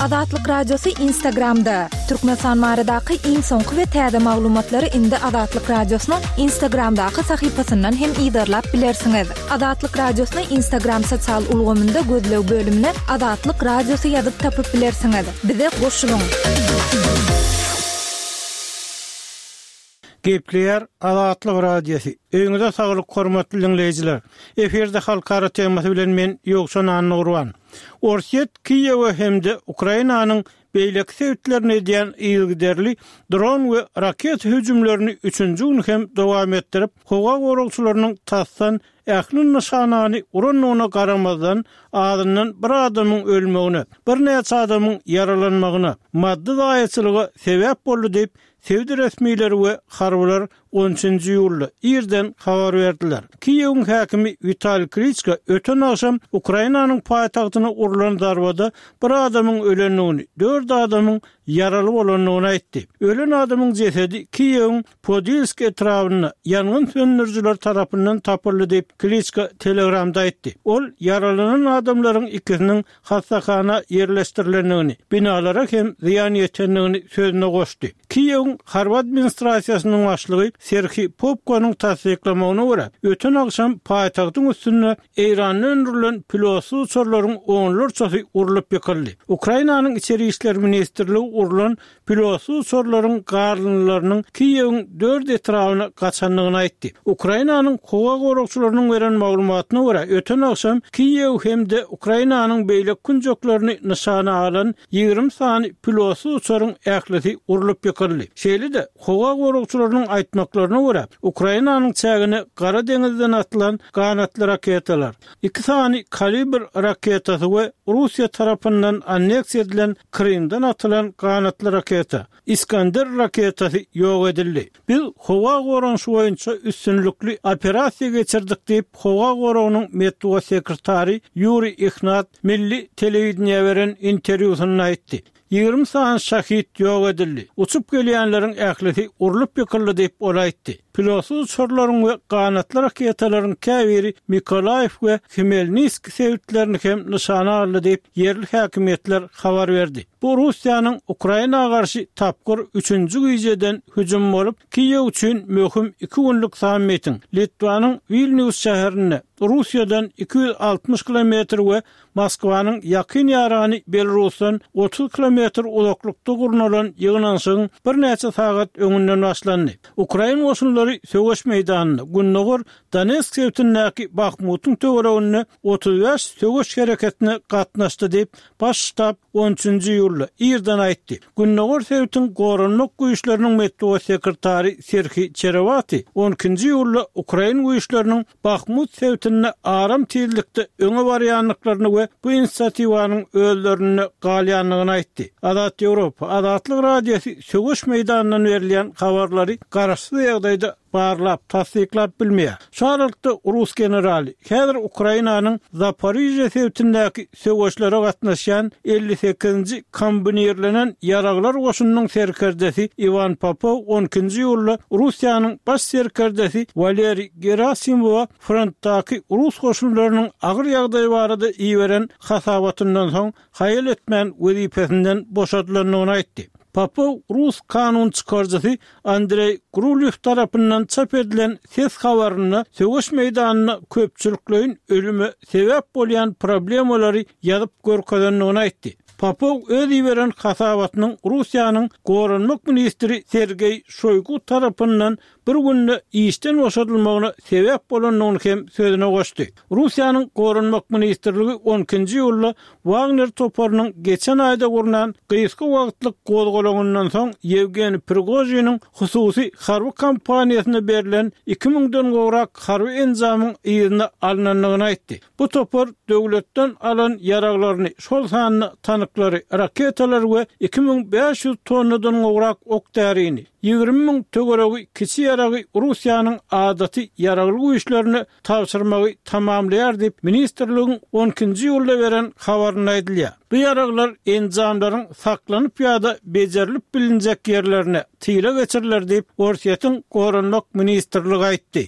Azatlyk Radiosy Instagramda! Türkmenistan baradaky iň soňky we täze maglumatlary indi Azatlyk Radiosynyň Instagramdaky sahypasyndan hem yzarlap bilersiňiz. Azatlyk Radiosyny Instagram sosial ulgamynda gözleg bölümine Azatlyk Radiosy ýazyp tapyp bilersiňiz. Bize goşulyň! Gepleýär Azatlyk Radiosy. Öýüňize saglyk hormatly diňleýjiler. Efirde halkara temasy bilen men Ýowşan Annagurban. Orsýet Kiýewe hem-de Ukrainanyň beýleki sebitlerine edýän yzygiderli dron we raketa hüjümlerini üçünji gün hem dowam etdirip, howa goragçylarynyň tasdan ähli nyşanany urandygyna garamazdan, azyndan bir adamyň ölmegine, birnäçe adamyň ýaralanmagyna, maddy zaýaçylyga sebäp boldy diýip, Sebit resmileri we harbylar on üçünji iýulda irden habar berdiler. Kiýewiň häkimi Witaliý Kliçko öten agşam Ukrainanyň paýtagtyna urlan zarbada bir adamyň ölendigini, dört adamyň ýaraly bolandygyny aýtdy. Ölen adamyň jesedi Kiýewiň Podilsk etrabynda ýangyn söndürijiler tarapyndan tapyldy diýip, Kliçko Telegramda aýtdy. Ol ýaralanan adamlaryň ikisiniň hassahana ýerleşdirilendigini, binalara hem zyýan ýetendigini sözüne goşdy. Kiýewiň harby administrasiýasynyň başlygy Serhiý Popkonyň tassyklamagyna görä, öten agşam paýtagtyň üstünde Eýranda öndürilen pilotsyz uçarlaryň onlarçasy urlup ýykyldy. Ukrainanyň Içeri işler ministrligi urlan Pilotsyz uçarlaryň galyndylarynyň Kiýewiň dört etrabyna gaçandygyny aýtdy. Ukrainanyň howa goragçylarynyň beren maglumatyna görä, öten agşam Kiýew hem-de Ukrainanyň beýleki künjeklerini nyşana alan 20 sany pilotsyz uçaryň ählisi urlup ýykyldy. Şeýle-de, howa goragçylarynyň aýtmaklaryna görä, Ukrainanyň çägine Gara deňizden atylan ganatly raketalar, iki sany Kalibr raketasy we Russiýa tarapyndan anneksiýa edilen Krymdan atylan ganatly raketa, Iskander raketasy ýok edildi. Biz howa goranyşy boýunça üstünlikli operasiýa geçirdik diýip, howa goragynyň metbugat sekretary Ýuriý Ihnat milli telewideniýä beren interwýusynda aýtdy. 20 sany şahid ýok edildi. Uçup gelýänleriň ählisi urlup ýykyldy diýip, ol aýtdy. Pilotsyz uçarlaryň we ganatly raketalaryň käbiri Mykolaýiw we Hmelniskiý sebitlerini hem nyşana aldy diýip, ýerli häkimiýetler habar berdi. Bu Russiýanyň Ukraina garşy tapgyr üçünji gijeden hüjümi bolup, Kiýew üçin möhüm iki günlük sammitiň Litwanyň Wilnýus şäherinde, Russiýadan 260 kilometr we Moskwanyň ýakyn ýarany Belarusdan 30 kilometr uzaklykda gurnalan ýygnanyşygyň birnäçe sagat öňünden başlandy. Ukrain goşunlary söweş meýdanynda, gündogar Donetsk sebitindäki Bahmutyň töwereginde 35 söweş hereketine gatnaşdy diýip, Baş ştab on üçünji iýulda irden aýtdy. Gündogar sebitiň goranmak güýçleriniň metbugat sekretary Serhiý Çerewati on ikinji iýulda ukrain güýçleriniň Bahmut sebitinde aram tizlikde öňe barýandyklaryny we bu inisiatiwanyň özlerinde galýandygyny aýtdy. Azat Ýewropa, Azatlyk Radiosy söweş meýdanyndan berilýän habarlary garaşsyz ýagdaýda barlap, tassyklap bilmeýär. Şu aralykda rus generaly, häzir Ukrainanyň Zaporižýe sebitindäki söweşlere gatnaşýan 58-nji kombinirlenen ýaraglar goşunynyň serkerdesi Iwan Popow on ikinji iýulda Russiýanyň baş serkerdesi Waleriý Gerasimowa frontdaky rus goşunlarynyň agyr ýagdaýy barada iberen hasabatyndan soň haýal etmän wezipesinden boşadylandygyny aýtdy. Popow rus kanun çykaryjysy Andreý Grulýow tarapyndan çap edilen ses habarynda söweş meýdanynda köpçülikleýin ölüme sebäp bolýan problemalary ýazyp görkezendigini aýtdy. Popow öz iberen hasabatynyň Russiýanyň goranmak ministri Sergeý Şoýgu tarapyndan bir günde işden boşadylmagyna sebäp bolandygyny hem sözüne goşdy. Russiýanyň Goranmak ministrligi on ikinji iýulda Wagner toparynyň geçen aýda gurnan gysga wagtlyk gozgalaňyndan soň Ýewgeniý Prigožiniň hususy harby kompaniýasyna berlen iki müňden gowrak harby enjamyň yzyna alnandygyny aýtdy. Bu topar döwletden alan ýaraglaryny, şol sanda tanklary, raketalary we 2500 tonnadan gowrak ok-därini, 20 müň töweregi kiçi ýaragy Russiýanyň adaty ýaragly güýçlerine tabşyrmagy tamamlaýar diýip, ministrligiň on ikinji iýulda beren habarynda aýdylýar. Bu ýaraglar enjamlaryň saklanyp ýa-da bejerilip bilinjek ýerlerine, tyla geçiriler diýip, Orsýetiň Goranmak ministrligi aýtdy.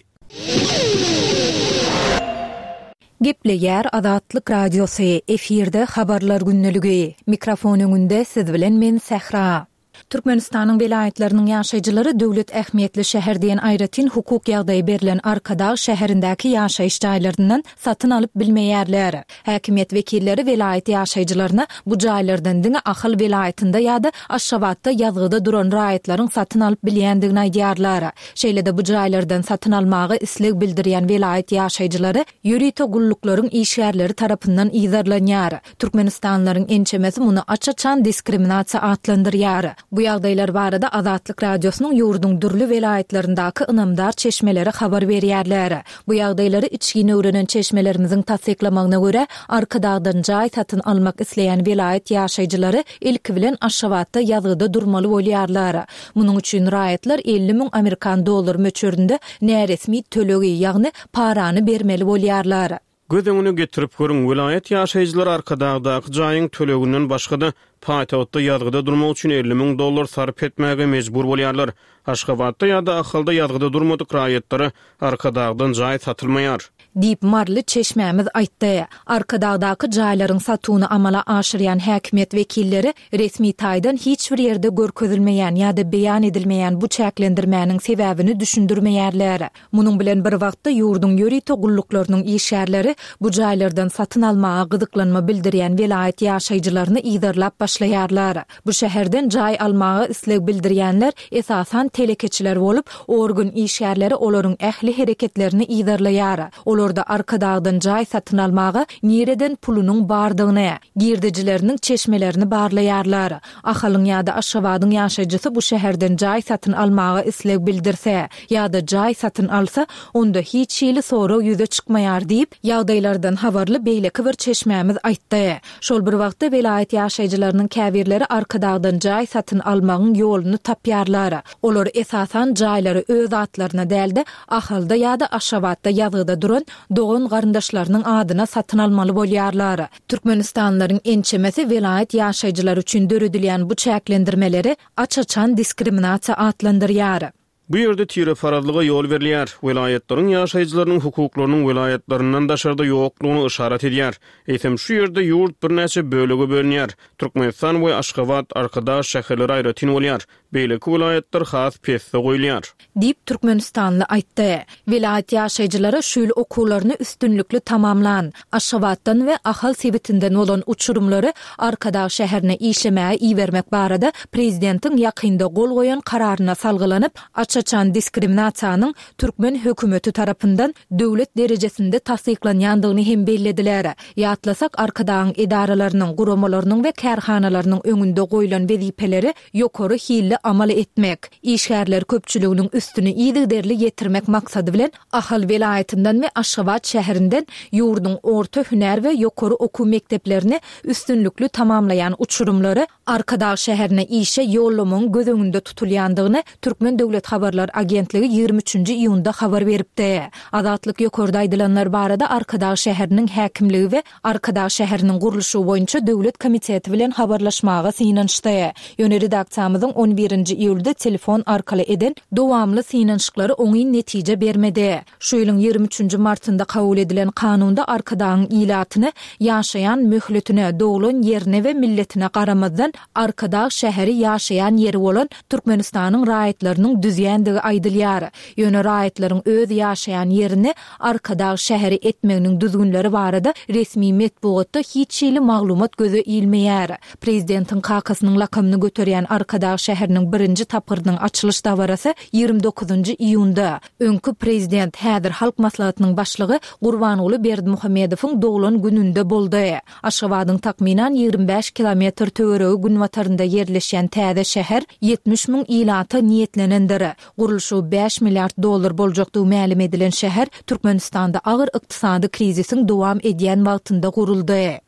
Gepleýär Azatlyk Radiosy, efirde Habarlar gündeligi. Mikrofon öňünde siz bilen men Sähra. Türkmenistanyň welaýatlarynyň ýaşaýjylary döwlet ähmiýetli şäher diýen aýratyn hukuk ýagdaýy berlen Arkadag şäherindäki ýaşaýyş jaýlaryndan satyn alyp bilmeýärler. Häkimiýet wekilleri welaýat ýaşaýjylaryna bu jaýlardan diňe Ahal welaýatynda ýa-da Aşgabatda ýazgyda duran raýatlaryň satyn alyp bilýändigini aýdýarlar. Şeýle-de bu jaýlardan satyn almaga isleg bildirýän welaýat ýaşaýjylary ýörite gulluklaryň işgärleri tarapyndan yzarlanýar. Türkmenistanlylaryň ençemesi muny aç-açan diskriminasiýa atlandyrýar. Bu ýagdaýlar barada Azatlyk Radiosynyň ýurduň dürli welaýatlaryndaky ynamdar çeşmeleri habar berýärler. Bu ýagdaýlary içgin öwrenen çeşmelerimiziň tassyklamagyna görä, Arkadagdan jaý satyn almak isleýän welaýat ýaşaýjylary ilki bilen Aşgabatda ýazgyda durmaly bolýarlar. Munuň üçin raýatlar 50 müň amerikan dollary möçberinde näresmi tölegi, ýagny parany bermeli bolýarlar. Göz öňüne getirip görüň, welaýat ýaşaýjylary Arkadagdaky jaýyň töleginden başga-da, paýtagtda ýazgyda durmak üçin 50 müň dollar sarp etmäge mejbur bolýarlar. Aşgabatda ýa-da Ahalda ýazgyda durmadyk raýatlara Arkadagdan jaý satylmaýar. Diýip, maryly çeşmämiz aýtdy. Arkadagdaky jaýlaryň satuwyny amala aşyrýan häkimiýet wekilleri resmi taýdan hiç bir ýerde görkezilmeýän ýa-da beýan edilmeýän bu çäklendirmäniň sebäbini düşündirmeýärler. Munuň bilen bir wagtda, ýurduň ýörite gulluklarynyň işgärleri bu jaýlardan satyn almaga gyzyklanma bildirýän welaýat ýaşaýjylaryny yzarlap başlaýarlar. Bu şäherden jaý almaga isleg bildirýänler esasan telekeçiler bolup, organ işgärleri olaryň ähli hereketlerini yzarlaýar. Olarda Arkadagdan jaý satyn almaga nireden pulunyň bardygyny, girdejileriniň çeşmelerini barlaýarlar. Ahalyň ýa-da Aşgabadyň ýaşaýjysy bu şäherden jaý satyn almaga isleg bildirse, ýa-da jaý satyn alsa, onda hiç hili sorag ýüze çykmaýar diýip, ýagdaýlardan habarly beýleki bir çeşmämiz aýtdy. Şol bir wagtda, welaýat ýaşaýjylarynyň käbirleri Arkadagdan jaý satyn almagyň ýoluny tapýarlar. Olar, esasan, jaýlary öz atlaryna däl-de, Ahalda ýa-da Aşgabatda ýazgyda duran dogan-garyndaşlarynyň adyna satyn almaly bolýarlar. Türkmenistanlylaryň ençemesi welaýat ýaşaýjylary üçin döredilýän bu çäklendirmeleri aç-açan diskriminasiýa atlandyrýar. Bu ýerde tireparazlyga ýol berilýär, welaýatlaryň ýaşaýjylarynyň hukuklarynyň welaýatlaryndan daşarda ýoklugyny yşarat edýär. Eýsem, şu ýerde ýurt birnäçe bölege bölünýär. Türkmenistan we Aşgabat, Arkadag şäherleri aýratyn bolýar. Beýleki welaýatlar has pesde goýulýar. Diýip, türkmenistanly aýtdy. Welaýat ýaşaýjylary şu ýyl okuwlaryny üstünlikli tamamlan, Aşgabatdan we Ahal sebitinden bolan uçurymlary Arkadag şäherine işlemäge ibermek barada prezidentiň ýakynda gol goýan kararyna salgylanyp, aç-açan diskriminasiýanyň türkmen hökümeti tarapyndan döwlet derejesinde tassyklanýandygyny hem bellediler. Ýatlasak, Arkadagyň edaralarynyň, guramalarynyň we kärhanalarynyň öňünde goýlan wezipeleri ýokary hilli amal etmek, işgärler köpçüliginiň üstüni yzygiderli ýetirmek maksady bilen, Ahal welaýatyndan we Aşgabat şäherinden ýurduň orta hünär we ýokary okuw mekdeplerini üstünlikli tamamlaýan uçurymlary Arkadag şäherine işe ýollamagyň göz öňünde tutulýandygyny Türkmen döwlet habarlar agentligi ýigrimi üçünji iýunda habar beripdi. Azatlyk ýokarda aýdylanlar barada Arkadag şäheriniň häkimligi we Arkadag şäheriniň gurluşygy boýunça döwlet komiteti bilen habarlaşmaga synanyşdy. Ýöne redaksiýamyzyň on birinji iýulda telefon arkaly eden dowamly synanyşyklary oňyn netije bermedi. Şu ýylyň ýigrimi üçünji martynda kabul edilen kanunda Arkadagyň ilatyny ýaşaýan möhletine, doglan ýerine we milletine garamazdan Arkadag şäheri ýaşaýan ýeri bolan Türkmenistanyň raýatlarynyň düzýändigi aýdylýar. Ýöne raýatlaryň öz ýaşaýan ýerini Arkadag şäheri etmeginiň düzgünleri barada resmi metbugatda hiç hili maglumat göze ilmeýär. Prezidentiň kakasynyň lakamyny göterýän Arkadag şäheriniň birinji tapgyrynyň açylyş dabarasy ýigrimi dokuzynjy iýunda, öňki prezident, häzir Halk Maslahatynyň başlygy Gurbanguly Berdimuhamedowyň doglan gününde boldy. Aşgabadyň takmynan 25 kilometr töweregi günbatarynda ýerleşýän täze şäher 70 müň ilata niýetlenendir. Gurluşygy bäş milliard dollar boljakdygy mälim edilen şäher Türkmenistanda agyr ykdysady krizisiň dowam edýän wagtynda guruldy.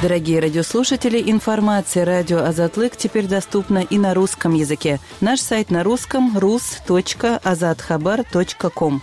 Дорогие радиослушатели, информация радио Азатлык теперь доступна и на русском языке. Наш сайт на русском rus.azathabar.com.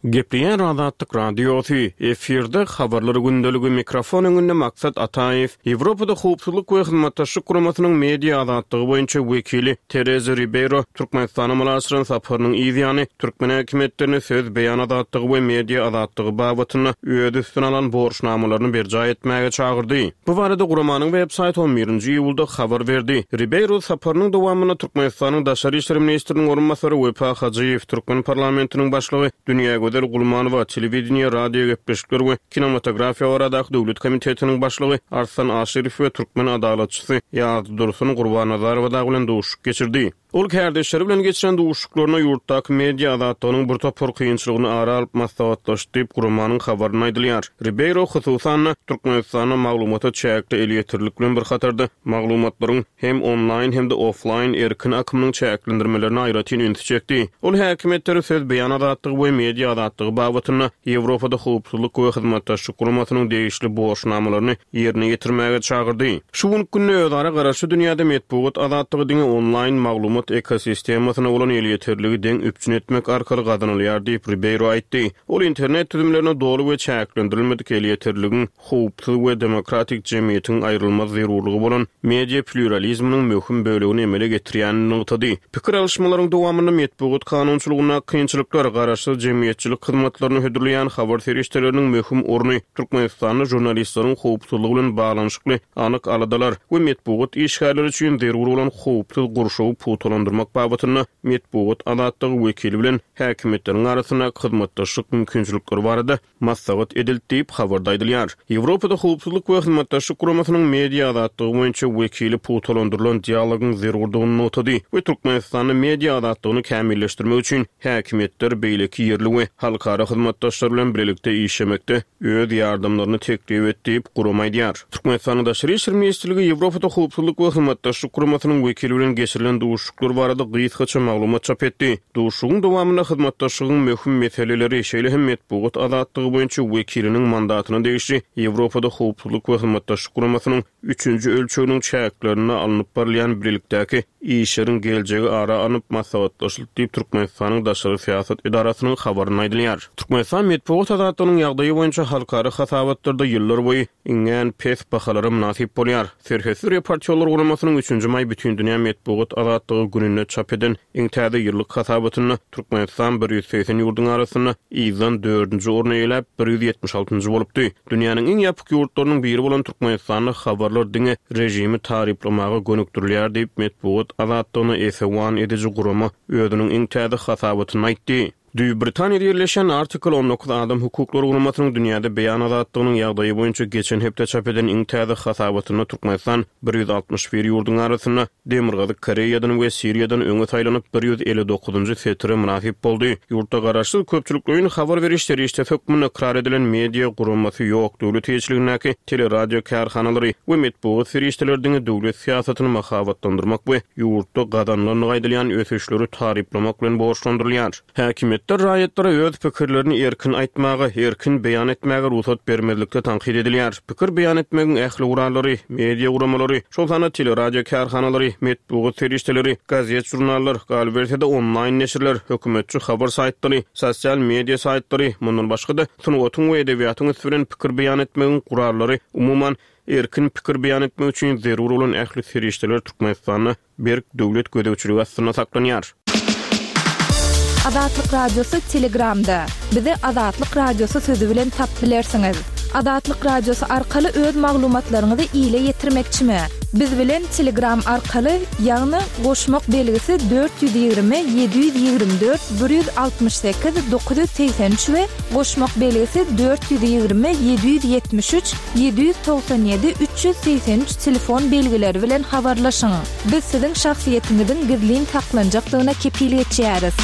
Gepleýär Azatlyk Radiosy, efirde Habarlar gündeligi, mikrofon öňünde Maksat Ataýew. Ýewropada Howpsuzlyk we Hyzmatdaşlyk Guramasynyň media azatlygy boýunça wekili Tereza Ribeýro Türkmenistana amala aşyran saparynyň yz ýany, türkmen häkimiýetlerini söz beýan azatlygy we media azatlygy babatynda öz üstüne alan borçnamalaryny berjaý etmäge çagyrdy. Bu barada guramanyň web saýty on birinji iýulda habar berdi. Ribeýro saparynyň dowamynda Türkmenistanyň daşary işler ministriniň orunbasary Wepa Hajyýew, türkmen parlamentiniň başlygy Dünýägözel Gulmanowa, Telewideniýe, radiogepleşikler we kinematografiýa baradaky döwlet komitetiniň başlygy Arslan Aşyrow we türkmen adalatçysy Ýazdursun Gurbannazarowa dagy bilen duşuşyk geçirdi. Ol kärdeşleri bilen geçiren duşuşyklarynda ýurtdaky media azatlygynyň bir topar kynçylygyny ara alyp maslahatlaşdy diýip, guramanyň habarynda aýdylýar. Ribeýro, hususan-da, Türkmenistanda maglumata çäkli elýeterlilik bilen bir hatarda, maglumatlaryň hem onlaýn, hem-de oflaýn erkin akymynyň çäklendirmelerine aýratyn ünsi çekdi. Ol häkimiýetleri söz beýan azatlygy we media azatlygy babatynda Ýewropada Howpsuzlyk we Hyzmatdaşlyk Guramasynyň degişli borçnamalaryny ýerine ýetirmäge çagyrdy. Şu günki günde özara garaşly dünýäde metbugat azatlygy diňe onlaýn maglumat ekosistemasyna bolan elýeterligi deň üpjün etmek arkaly gazanylýar diýip, Ribeýro aýtdy. Ol internet düzümlerine doly we çäklendirilmedik elýeterligiň howpsuz we demokratik jemgyýetiň aýrylmaz zerurlygy bolan media plýuralizminiň möhüm bölegini emele getirýänini nygtady. Pikir alyşmalaryň dowamynda metbugat kanunçylygyndaky kynçylyklar, garaşsyz jemgyýetçilik hyzmatlaryny hödürleýän habar serişdeleriniň möhüm orny, Türkmenistanda žurnalistleriň howpsuzlygy bilen baglanyşykly anyk aladalar we metbugat işgärleri üçin zerur bolan howpsuz gurşawy pugtalandyrmak babatynda metbugat azatlygy wekili bilen häkimiýetleriň arasyndaky hyzmatdaşlyk mümkinçilikleri barada maslahat edildi diýip, habarda aýdylýar. Ýewropada Howpsuzlyk we Hyzmatdaşlyk Guramasynyň media azatlygy boýunça wekili pugtalandyrylan dialogyň zerurdygyny nygtady we Türkmenistanda media azatlygyny kämilleşdirmek üçin häkimiýetler beýleki ýerli we halkara hyzmatdaşlar bilen bilelikde işlemekde öz ýardamlaryny teklip etdi diýip, gurama aýdýar. Türkmenistanyň Daşary işler ministrligi Ýewropada Howpsuzlyk we Hyzmatdaşlyk Guramasynyň wekili bilen geçirilen duşuşyklar barada gysgaça maglumat çap etdi. Duşuşygyň dowamynda hyzmatdaşlygyň möhüm meseleleri, şeýle hem metbugat azatlygy boýunça wekiliniň mandatyna degişli Ýewropada Howpsuzlyk we Hyzmatdaşlyk Guramasynyň üçünji ölçeginiň çäklerinde alnyp barylýan bilelikdäki işleriň geljegi ara alnyp maslahatlaşyldy diýip, Türkmenistanyň daşary syýasat edarasynyň habarynda aýdylýar. Türkmenistan metbugat azatlygynyň ýagdaýy boýunça halkara hasabatlarda ýyllarboýy iňňän pes bahalara mynasyp bolýar. Serhetsiz reportýorlar guramasynyň üçünji maý Bütindünýä metbugat azatlygy gününde çap eden iň täze ýyllyk hasabatynda Türkmenistan 180 ýurduň arasynda yzdan dördünji orny eýeläp, 176 altynjy bolupdy. Dünýäniň iň ýapyk ýurtlarynyň biri bolan Türkmenistanda habarlar diňe režimi taryplamaga gönükdirilýär diýip, metbugat azatlygyna esewan ediji gurama özüniň iň täze hasabatynda aýtdy. Düýbi Britaniýada ýerleşýän Article 19 adam hukuklary guramasynyň dünýäde beýan azatlygynyň ýagdaýy boýunça geçen hepde çap eden iň täze hasabatynda Türkmenistan 161 ýurduň arasynda Demirgazyk Koreýadan we Siriýadan öňe saýlanyp, 159-njy setire mynasyp boldy. Ýurtda garaşsyz köpçülikleýin habar beriş serişdesi hökmünde ykrar edilen media guramasy ýok, döwlet eýeçiligindäki teleradio kärhanalary we metbugat serişdeleri diňe döwlet syýasatyny mahabatlandyrmak we ýurtda gazanylandygy aýdylýan ösüşleri taryplamak bilen borçlandyrylýar. Häkimiýetler raýatlara öz pikirlerini erkin aýtmaga, erkin beýan etmäge rugsat bermezlikde tankyt edilýär. Pikir beýan etmegiň ähli gurallary, media guramalary, şol sanda teleradio kärhanalary, metbugat serişdeleri, gazet-žurnallar, galyberse-de onlaýn neşirler, hökümetçi habar saýtlary, sosial media saýtlary, mundan başga-da, sungatyň we edebiýatyň üsti bilen pikir beýan etmegiň gurallary, umuman, erkin pikir beýan etmek üçin zerur bolan ähli serişdeler Türkmenistanda berk döwlet gözegçiligi astynda saklanýar. Azatlyk Radiosy Telegramda. Bizi Azatlyk Radiosy sözi bilen tapyp bilersiňiz. Azatlyk Radiosy arkaly öz maglumatlaryňyzy ile ýetirmekçimi? Biz bilen Telegram arkaly, ýagny goşmak belgisi 420 724 168 983 we goşmak belgisi 420 773 797 383 telefon belgileri bilen habarlaşyň. Biz siziň şahsyýetiňiziň gizlin saklanjakdygyna kepil geçýäris.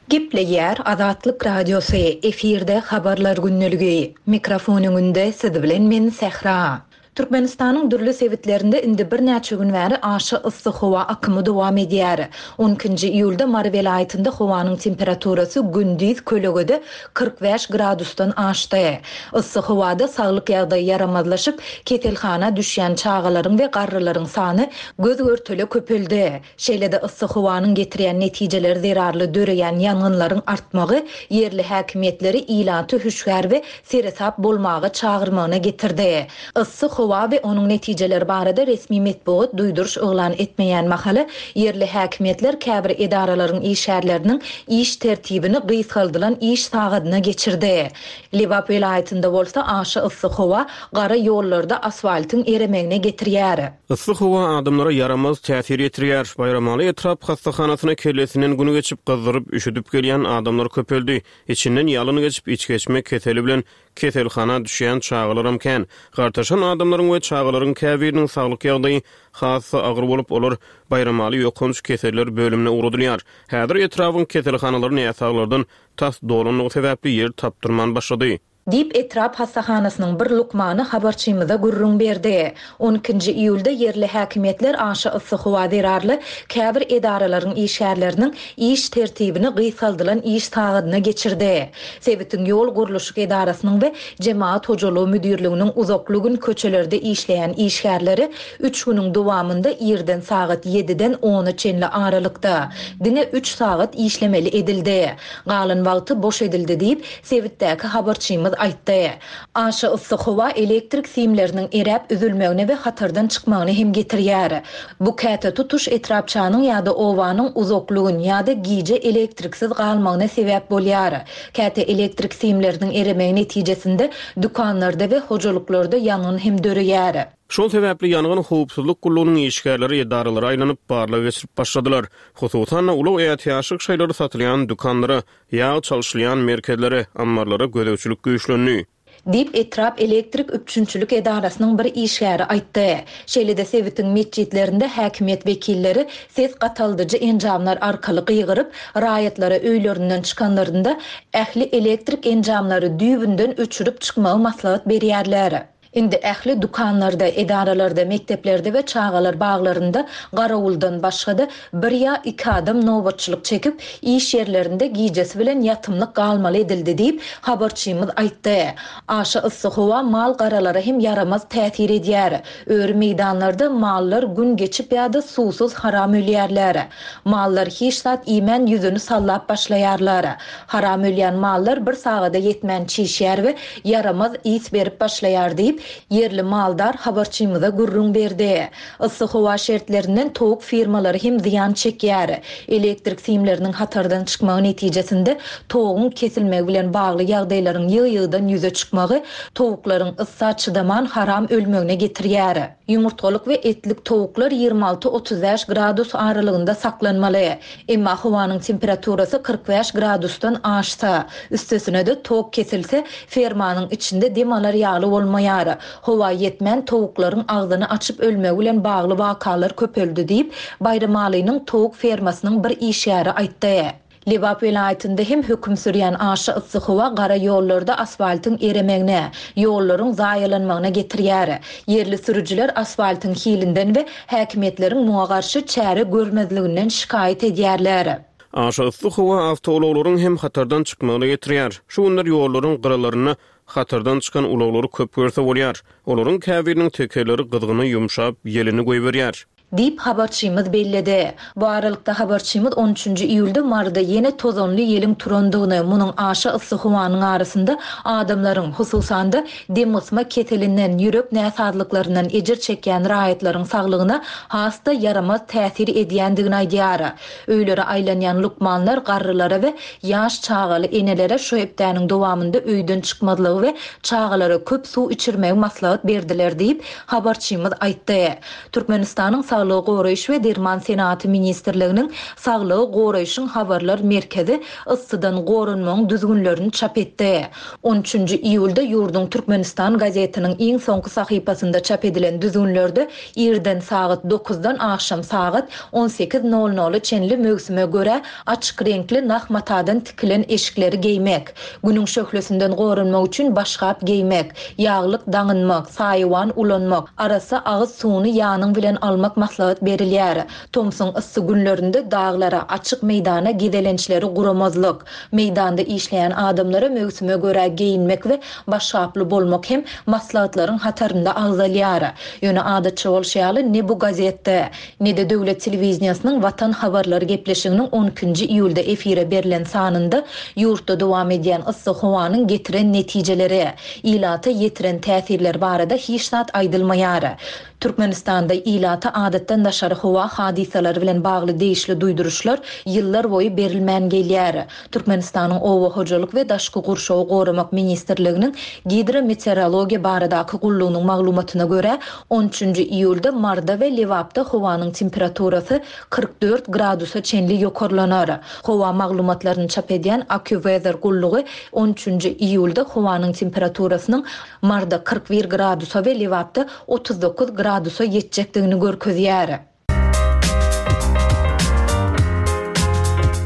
Gepleýär Azatlyk Radiosy, efirde Habarlar gündeligi. Mikrofon öňünde siz bilen men Sähra. Türkmenistanyň dürli sebitlerinde indi birnäçe gün bäri aşa yssy howa akymy dowam edýär. On ikinji iýulda Mary welaýatynda howanyň temperaturasy gündiz kölegede 45 gradusdan aşdy. Yssy howada saglyk ýagdaýy ýaramazlaşyp, keselhana düşýän çagalaryň we garrylaryň sany göz-görtele köpeldi. Şeýle-de yssy howanyň getirýän netijeleri zerarly döreýän ýangynlaryň artmagy ýerli häkimiýetleri ilaty hüşgär we seresap bolmaga çagyrmagyna getirdi. Yssy howa we onuň netijeleri barada resmi metbugat duýduryş yglan etmeýän mahaly, ýerli häkimiýetler käbir edaralaryň işgärleriniň iş tertibini gysgaldylan iş sagadyna geçirdi. Lebap welaýatynda bolsa aşa yssy howa gara ýollarda asfaltyň eremegine getirýär. Yssy howa adamlara ýaramaz täsir ýetirýär. Baýramaly etrap hassahanasyna kellesinden gün geçip, gyzdyryp, üşüdip gelýän adamlar köpeldi. Içinden ýalyn geçip, içgeçme keseli bilen keselhana düşýän çagalaram kän. Gartaşan adamlaryň we çagalaryň käbiriniň saglyk ýagdaýy has-da agyr bolup, olar Baýramaly ýokanç keseller bölümine ugradylýar. Häzir etrabyň keselhanalary näsaglardan tas dolanlygy sebäpli ýer tapdyrman başlady. Diýip, etrap hassahanasynyň bir lukmany habarçymyza gürrüň berdi. On ikinji iýulda ýerli häkimiýetler aşa yssy howa zerarly käbir edaralaryň işgärleriniň iş tertibini gysgaldylan iş sagadyna geçirdi. Sebitiň ýol gurluşyk edarasynyň we jemagat hojalygy müdirliginiň uzakly gün köçelerde işleýän işgärleri üç günüň dowamynda irden sagat ýediden ona çenli aralykda, diňe üç sagat işlemeli edildi. Galan wagty boş edildi diýip, sebitdäki habarçymyz aýtdy. Aşa yssy howa elektrik simleriniň eräp üzülmegine we hatardan çykmagyna hem getirýär. Bu käte tutuş etrapçanyň ýa-da obanyň uzakly gün ýa-da gije elektriksiz galmagyna sebäp bolýar. Käte elektrik simleriniň eremegi netijesinde dükanlarda we hojalyklarda ýangyn hem döreýär. Şol sebäpli ýangyn howpsuzlyk gullugynyň işgärleri edaralara aýlanyp, barlag geçirip başladylar. Hususan-da, ulag ätiýaçlyk şaýlary satylýan dükanlara, ýag çalşylýan merkezlere, ammarlara gözegçilik güýçlendi. Diýip, etrap elektrik üpjünçilik edarasynyň bir işgäri aýtdy. Şeýle-de sebitiň metjitlerinde häkimiýet wekilleri ses gataldyjy enjamlar arkaly gygyryp, raýatlara öýlerinden çykanlarynda ähli elektrik enjamlary düýbünden öçürip çykmagy maslahat berýärler. Indi ähli dükanlarda, edaralarda, mekdeplerde we çagalar baglarynda garawuldan başga-da bir ýa iki adam nobatçylyk çekip, iş ýerlerinde gijesi bilen ýatymlyk galmaly edildi diýip, habarçymyz aýtdy. Aşa yssy howa mal-garalara hem ýaramaz täsir edýär. Öri meýdanlarda mallar gün geçip ýa-da suwsuz haram ölýärler. Mallar hiç zat iýmän ýüzüni sallap başlaýarlar. Haram ölýän mallar bir sagada ýetmän çişýär we ýaramaz ys berip başlaýar diýip, ýerli maldar habarçymyza gürrüň berdi. Yssy howa şertlerinden towuk firmalary hem zyýan çekýär. Elektrik simleriniň hatardan çykmagy netijesinde toguň kesilmegi bilen bagly ýagdaýlaryň ýygy-ýygydan ýüze çykmagy towuklaryň yssa çydaman haram ölmegine getirýär. Ýumurtgalyk we etlik towuklar 26, 35 gradus aralygynda saklanmaly. Emma howanyň temperaturasy 45 gradusdan aşsa, üstesine-de tok kesilse, fermanyň içinde dem alar ýaly bolmaýar. Howa ýetmän towuklaryň agzyny açyp ölmegi bilen bagly wakalar köpeldi diýip, Baýramalynyň towuk fermasynyň bir işgäri aýtdy. Lebap welaýatynda hem höküm sürýän aşa yssy howa gara ýollarda asfaltyň eremegine, ýollaryň zaýalanmagyna getirýär. Ýerli sürüjiler asfaltyň hilinden we häkimiýetleriň muňa garşy çäre görmezliginden şikaýat edýärler. Aşa yssy howa awtoulaglaryň hem hatardan çykmagyna getirýär. Şu günler ýollaryň gyralarynda hatardan çykan ulaglary köp görse bolýar. Olaryň käbiriniň tekerleri gyzgyny ýumşap, ýelini goýberýär. Diýip, habarçymyz belledi. Bu aralykda, habarçymyz on üçünji iýulda Maryda ýene tozanly ýeliň turandygyny, munuň aşa yssy howanyň arasynda adamlaryň, hususan-da, demgysma keselinden, ýürek näsazlyklaryndan ejir çekýän raýatlaryň saglygyna has-da ýaramaz täsir edýändigini aýdýar. Öýlere aýlanýan lukmanlar garrylara we ýaş çagaly enelere şu hepdäniň dowamynda öýden çykmazlygy we çagalara köp suw içirmegi maslahat berdiler diýip, habarçymyz aýtdy. Türkmenistanyň Saglyk. Saglygy goraýyş we derman senagaty ministrliginiň Saglygy goraýşyň habarlar merkezi yssydan goranmagyň düzgünlerini çap etdi. On üçünji iýulda ýurduň Türkmenistan gazetiniň iň soňky sahypasynda çap edilen düzgünlerde irden sagat dokuzdan agşam sagat on sekiz nol nola çenli möwsüme görä açyk reňkli nah matadan tikilen eşikleri geýmek, Günüň şöhlesinden goranmak üçin başgap geýmek, ýaglyk daňynmak, saýawan ulanmak, arassa agyz suwuny ýanyň bilen almak maslahat berilýär. Tomsuň yssy günlerinde daglara, açyk meýdana gezelençleri guramazlyk, meýdanda işleýän adamlara möwsüme görä geýinmek we başgaply bolmak hem maslahatlaryň hatarynda agzalýar. Ýöne adatça bolşy ýaly ne bu gazetde, Ne-de döwlet telewideniýesiniň Watan habarlary gepleşiginiň on ikinji iýulda efire berlen sanynda ýurtda dowam edýän yssy howanyň getiren netijeleri, ilata ýetiren täsirleri barada hiç zat aýdylmaýar. Türkmenistanda ilata adatdan daşary howa hadysalary bilen bagly degişli duýduryşlar ýyllar boýy berilmän gelýär. Türkmenistanyň Oba hojalyk we daşky gurşawy goramak ministrliginiň Gidrometeorologiýa baradaky gullugynyň maglumatyna görä, on üçünji iýulda Maryda we Lebapda howanyň temperaturasy 44 gradusa çenli ýokarlanar. Howa maglumatlaryny çap edýän AccuWeather gullugy on üçünji iýulda howanyň temperaturasynyň Maryda 41 gradusa we Lebapda 39 gradusa ýetjekdigini görkezýär.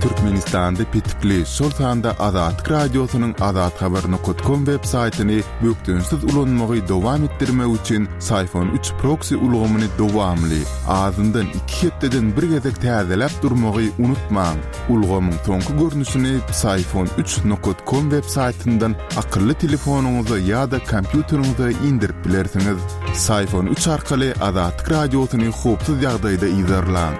Türkmenistanda petikli, şol sanda Azatlyk Radiosynyň azathabar nokat kom web saýtyny bökdençsiz ulanmagy dowam etdirmek üçin Syfon üç proksi ulgamyny dowamly, azyndan iki hepdeden bir gezek täzeläp durmagy unutmaň. Ulgamyň soňky görnüşini Psiphon üç nokat kom web saýtyndan akylly telefonyňyza ýa-da kompýuteriňize indirip bilersiňiz. Psiphon üç arkaly Azatlyk Radiosyny howpsuz ýagdaýda yzarlaň.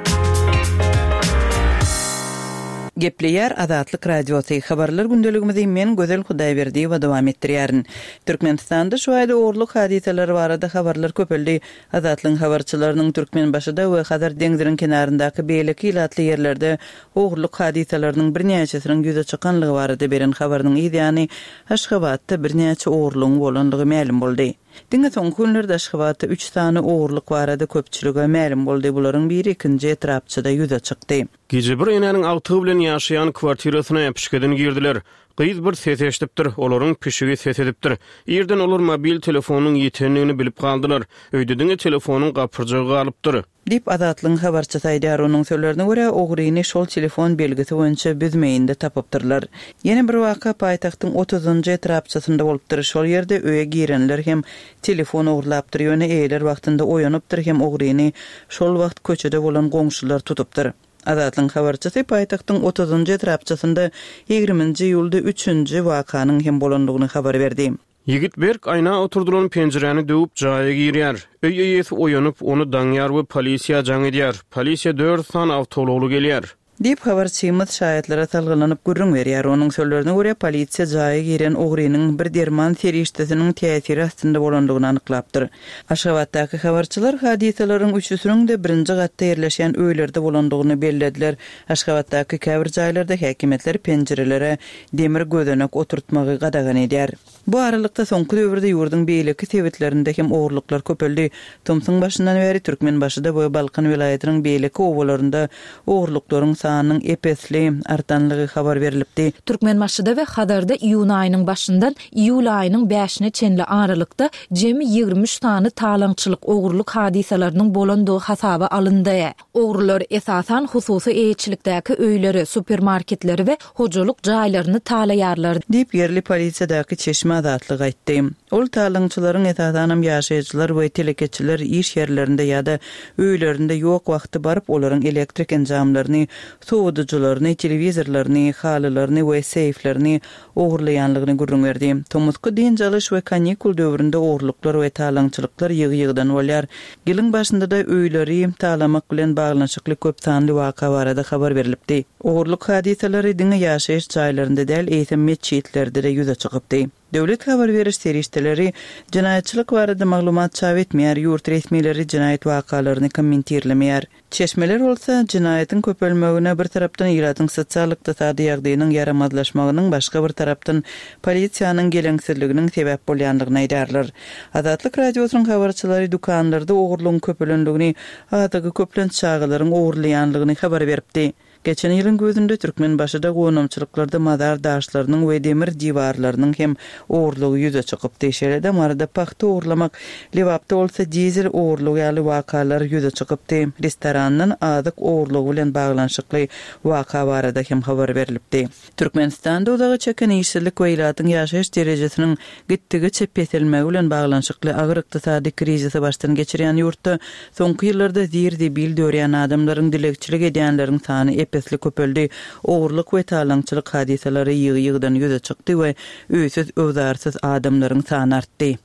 Gepleýär Azatlyk Radiosy, Habarlar gündeligimizi men Gözel Hudaýberdiýewa dowam etdirýärin. Türkmenistanda şu aýda ogurlyk hadysalary barada habarlar köpeldi. Azatlygyň habarçylarynyň Türkmenbaşyda we Hazar deňziniň kenaryndaky beýleki ilatly ýerlerde ogurlyk hadysalarynyň birnäçesiniň ýüze çykanlygy barada beren habarynyň yz ýany Aşgabatda birnäçe ogurlygyň bolanlygy mälim boldy. Diňe soňky günlerde Aşgabatda üç sany ogurlyk barada köpçülige mälim boldy, bularyň biri ikinji etrapçada ýüze çykdy. Gije bir enäniň agtygy bilen ýaşaýan kwartirasyna äpişgeden girdiler. Gyz bir ses eşidipdir, olaryň pişigi ses edipdir. Irden olar mobil telefonynyň ýitendigini bilip galdylar. Öýde diňe telefonyň gapyrjagy galypdyr. Diýip, Azatlygyň habarçysy aýdýar. Onuň sözlerine görä, ogryny şol telefon belgisi boýunça Büzmeýinde tapypdyrlar. Ýene bir waka paýtagtyň otuzynjy etrapçasynda bolupdyr. Şol ýerde öýe girenler hem telefon ogurlapdyr, ýöne eýeler wagtynda oýanypdyr hem ogryny şol wagt köçede bolan goňşular tutupdyr. Azatlygyň habarçysy paýtagtyň otuzynjy etrapçasynda ýigriminji iýulda üçünji wakanyň hem bolandygyny habar berdi. Ýigit berk aýna oturdylan penjiräni döwüp, jaýa girýär. Öý eýesi oýanyp, ony daňýar we polisiýa jaň edýär. Polisiýa dört sany awtoulagly gelýär. Diýip, habarçymyz şaýatlara salgylanyp gürrüň berýär. Onuň sözlerine görä, polisiýa jaýa giren ogrynyň bir derman serişdesiniň täsiri astynda bolandygyny anyklapdyr. Aşgabatdaky habarçylar hadysalaryň üçüsiniň-de birinji gatda ýerleşýän öýlerde bolandygyny bellediler. Aşgabatdaky käbir jaýlarda häkimiýetler penjirelere demir gözenek oturtmagy gadagan edýär. Bu aralykda, soňky döwürde ýurduň beýleki sebitlerinde hem ogurlyklar köpeldi. Tomsuň başyndan bäri Türkmenbaşyda we Balkan welaýatynyň beýleki obalarynda ogurlyklaryň sanynyň ep-esli artanlygy habar berlipdi. Türkmenbaşyda we Hazarda iýun aýynyň başyndan iýul aýynyň bäşine çenli aralykda jemi 23 sany talaňçylyk, ogurlyk hadysalarynyň bolandygy hasaba alyndy. Ogrular, esasan, hususy eýeçilikdäki öýleri, supermarketleri we hojalyk jaýlaryny talaýarlar. Diýip, ýerli polisiýadaky çeşme Azatlyga aýtdy. Ol talaňçylaryň esasanam ýaşaýjylar we telekeçiler iş ýerlerinde ýa-da öýlerinde ýok wagty baryp, olaryň elektrik enjamlaryny, sowadyjylaryny, telewizorlaryny, halylaryny we seýflerini ogurlaýanlygyny gürrüň berdi. Tomusky dynç alyş we kanikul döwründe ogurlyklar we talaňçylyklar ýygy-ýygydan bolýar. Ýylyň başynda-da öýleri talamak bilen baglanyşykly köp sanly waka barada habar berlipdi. Ogurlyk hadysalary diňe ýaşaýyş jaýlarynda däl, eýsem metjitlerde-de ýüze çykypdy. Döwlet habar beriş serişdeleri jenaýatçylyk barada maglumat çap etmeýär, ýurt resmileri jenaýat wakalaryny kommentirlemeýär. Çeşmeler bolsa, jenaýatyň köpelmegine bir tarapdan ilatyň sosial-ykdysady ýagdaýynyň ýaramazlaşmagynyň, başga bir tarapdan polisiýanyň geleňsizliginiň sebäp bolýandygyny aýdarlar. Azatlyk Radiosynyň habarçylary dükanlarda ogurlygyň köpelendigini, azygy köplenç çagalaryň ogurlaýanlygyny habar beripdi. Geçen ýylyň güýzünde Türkmenbaşyda gonamçylyklarda mazar daşlarynyň we demir diwarlarynyň hem ogurlygy ýüze çykypdy. Şeýle-de Maryda pagta ogurlamak, Lebapda bolsa dizel ogurlygy ýaly wakalar ýüze çykypdy. Restorandan azyk ogurlygy bilen baglanyşykly waka barada hem habar berlipdi. Türkmenistanda uzaga çeken işsizlik we ilatyň ýaşaýyş derejesiniň gitdigiçe peselmegi bilen baglanyşykly agyr ykdysady krizisi başdan geçirýän ýurtda soňky ýyllarda zir-zibil dörýän adamlaryň, dilegçilik edýänleriň sany ep-esli köpeldi, ogurlyk we talaňçylyk hadysalary ýygy-ýygydan ýüze çykdy we öýsüz-öwzarsyz adamlaryň sany artdy.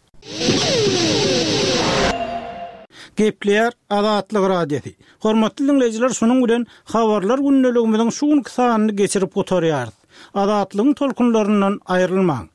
Gepleýär Azatlyk Radiosy. Hormatly diňleýjiler şunuň bilen Habarlar gündeligimiziň şu günki sanyny geçirip gutarýarys. Azatlygyň tolkunlaryndan aýrylmaň.